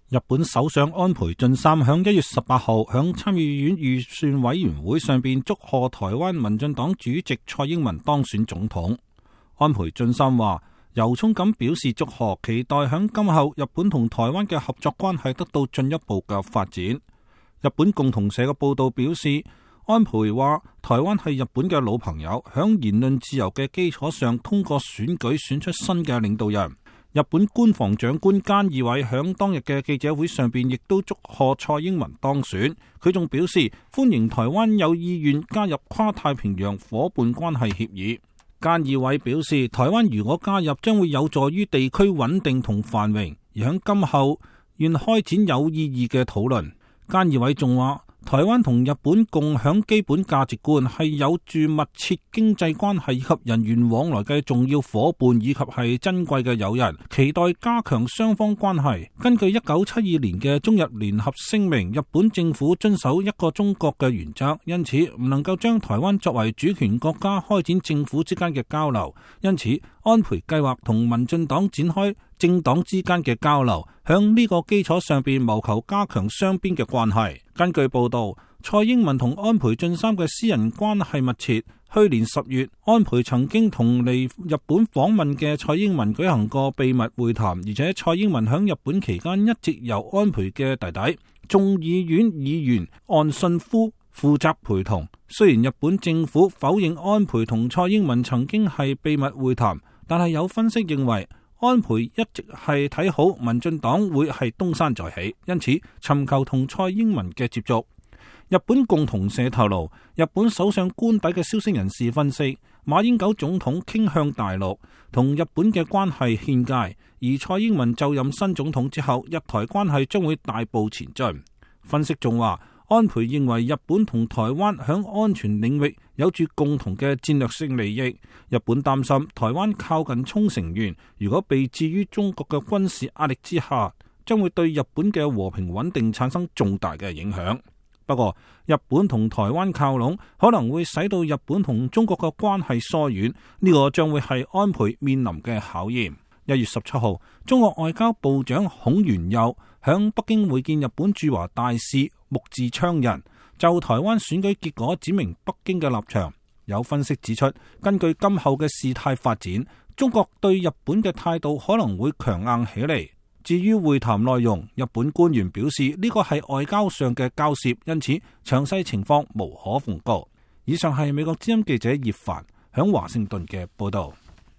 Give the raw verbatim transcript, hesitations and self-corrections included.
日本首相安倍晉三響一月十八號響參議院預算委員會上邊祝賀台灣民進黨主席蔡英文當選總統。安倍晉三話由衷咁表示祝賀，期待響今後日本同台灣嘅合作關係得到進一步嘅發展。日本共同社嘅報道表示，安倍話台灣係日本嘅老朋友，響言論自由嘅基礎上通過選舉選出新嘅領導人。日本官房長官菅義偉響當日嘅記者會上邊亦都祝賀蔡英文當選，佢仲表示歡迎台灣有意願加入跨太平洋夥伴關係協議。菅義偉表示，台灣如果加入將會有助於地區穩定同繁榮，而響今後願開展有意義嘅討論。菅義偉仲話，台灣同日本共享基本價值觀，係有住密切經濟關係以及人員往來嘅重要夥伴，以及係珍貴嘅友人，期待加強雙方關係。根據一九七二年嘅中日聯合聲明，日本政府遵守一個中國嘅原則，因此唔能夠將台灣作為主權國家開展政府之間嘅交流。因此，安倍計劃同民進黨展開政黨之間嘅交流，響呢個基礎上邊謀求加強雙邊嘅關係。根據報道，蔡英文同安倍晉三嘅私人關係密切。去年十月，安倍曾經同嚟日本訪問嘅蔡英文舉行過秘密會談，而且蔡英文響日本期間一直由安倍嘅弟弟眾議院議員岸信夫負責陪同。雖然日本政府否認安倍同蔡英文曾經係秘密會談，但係有分析認為，安倍一直係睇好民進黨會係東山再起，因此尋求同蔡英文嘅接觸。日本共同社透露，日本首相官邸嘅消息人士分析，馬英九總統傾向大陸，同日本嘅關係欠佳，而蔡英文就任新總統之後，日台關係將會大步前進。分析仲話，安倍認為日本同台灣響安全領域有住共同嘅戰略性利益，日本擔心台灣靠近沖繩縣，如果被置於中國嘅軍事壓力之下，將會對日本嘅和平穩定產生重大嘅影響。不過，日本同台灣靠攏可能會使到日本同中國嘅關係疏遠，呢個將會係安倍面臨嘅考驗。一月十七號，中國外交部長孔元佑響北京會見日本駐華大使木寺昌人，就台灣選舉結果指明北京嘅立場。有分析指出，根據今後嘅事態發展，中國對日本嘅態度可能會強硬起嚟。至於會談內容，日本官員表示呢個係外交上嘅交涉，因此詳細情況無可奉告。以上係美國之音記者葉凡響華盛頓嘅報道。